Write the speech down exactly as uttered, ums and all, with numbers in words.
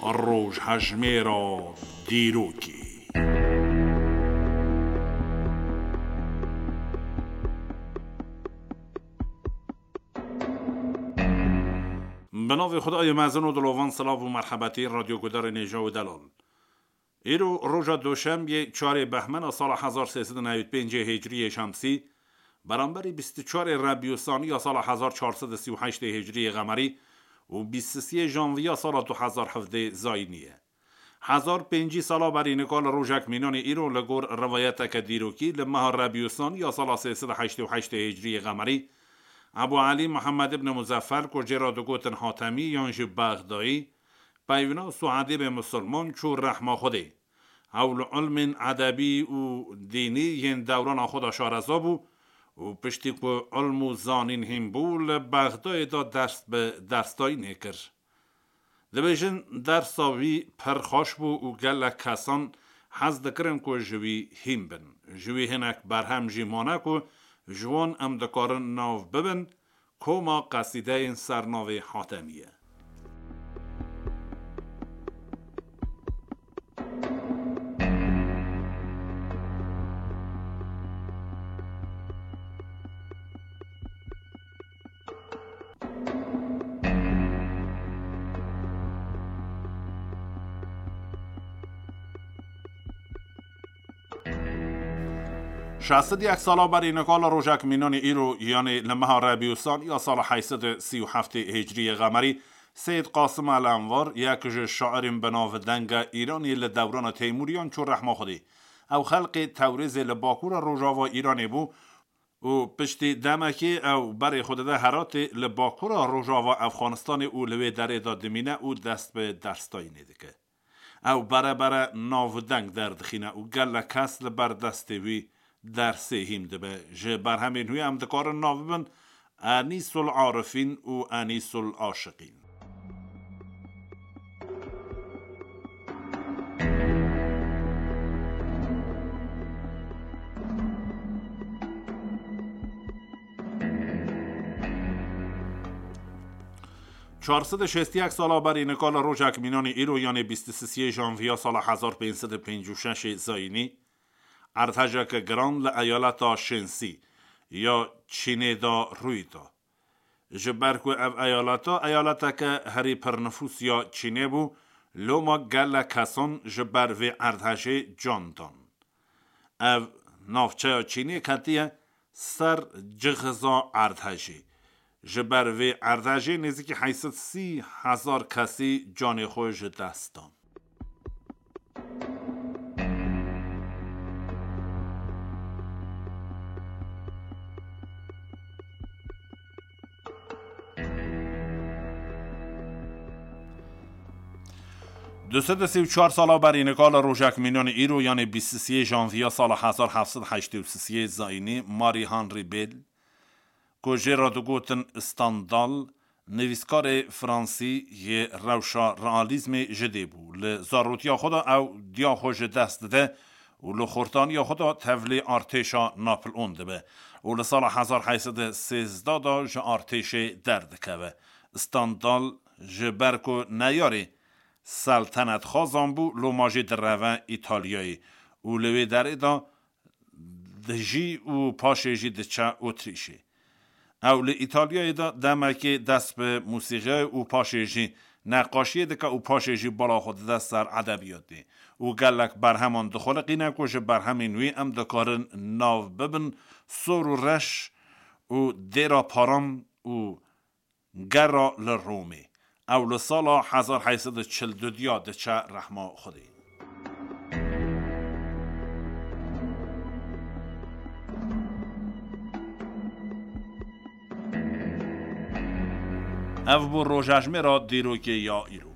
Rojhejmêra dîrokê. Bi navê Xwedayê mezin û dilovan, silav û merhebetî radyogudarên hêja û delal. Îro roja doşembiyê, çarê behmena sala hezar sê sed û newî pêncê hicriyê şemsî, beramberî bîst û çarê rebî û saniya sala hezar çar sed û sî û heştê hicriyê qemerî û bîst û sê janviya sala du hezar hevdê zayînî ye. Hezar pêncî sala berî nika li rojek mînanê îro, li gor rivayeteke dîrokî, li meha rebî û saniya sala sê sed û heştê û heştê hicriyê qemerî, Ebû Elî Mihemed ibn Muzeffer, ku jê re digotin Hatemî yan jî Bexdayî, peyvna û edîbê misilman çû rehma Xwedê. Ew li ilmên edebî û dînî yên dewrana xwe de şareza bû û piştî ku ilm û zanîn hîn bû, li Bexdayê de ders bi dersdayînê kir. Dibêjin, dersa wî pir xweş bû û gelek kesan hez dikirin ku ji wî hîn bin. Ji wî hinek berhem jî mane ku ji wan em dikarin nav bibin, koma qesîdeyên ser navê Hatemî ye. Şeşt û yek sala berî nika li rojek mînanê îro, yanê li meha rebî û saniya sala heyt sed û sî û heftê hicriyê qemerî, Seyîd Qasim El Envar, yek ji şairên bi navdeng e Îranê, li dewrana Teymûriyan çû rehma Xwedê. Ew xelkê Tewrêzê li bakûra rojava Îranê bû û piştî demekê ew berê xwe dide Heratê, li bakûra rojava Efxanistanê, û li wê derê de dimîne û dest bi dersdayînê dike. Ew berebere navdeng derdixîne û gelek kes li ber destê wî dersê hîn dibe. Ji berhemên wî em dikarin nav bibin Enîsul Arifîn û Enîsul Aşiqîn. Çar sed û şêst û yek sala berî nika li rojek mînanê îro, yanê bîst û sê janviya sala hezar pênc sed û pêncî û şeş zayînî, erdhejeke giran li eyaleta Şênsî ya Çînê de rûyî da. Ji ber ku ev eyaleta eyaleteke herî pirnifûs ya Çînê bû, loma gelek kesan ji ber vê erdhejê can dan. Ev navçeya Çînê ketiye ser cixiza erdhejê. Ji ber vê erdhejê nêzîkî heyt sed sî hezar kesî canê xwe ji dest dan. Du sed û sî û çar sala berî nika li rojek mînanê îro, yanê bîst û sê janviya sala hezar heft sed heştê û sê zayînî, Marie Henri Beyle, ku jê re digotin Stendhal, nivîskarê fransî yê rewşa realîzmê ji dê bû. Li zarotiya xwe de ew diya xwe ji dest dide û li xortaniya xwe de tevlî artêşa Napoleon dibe û li sala hezar heyt sed û sêzdeh de ji artêşê derdikeve. Stendhal ji ber ku neyarê seltenetxwazan bû, loma jî direve Îtalyayê û li wê derê de dijî û paşê jî diçe Otrîşê. Ew li Îtalyayê de demekê dest bi mûsîqiyê û paşê jî neqaşiyê dike û paşê jî bala xwe dide ser edebiyatê û gelek berheman dixuliqîne ku ji berhemên wî em dikarin nav bibin Sor û Reş û Dêra Paran û Gera li Romê. Ew li sala hezar heyt sed û çil û du diçe rehma Xwedê. Ev bû rojejmêra dîrokê ya îro.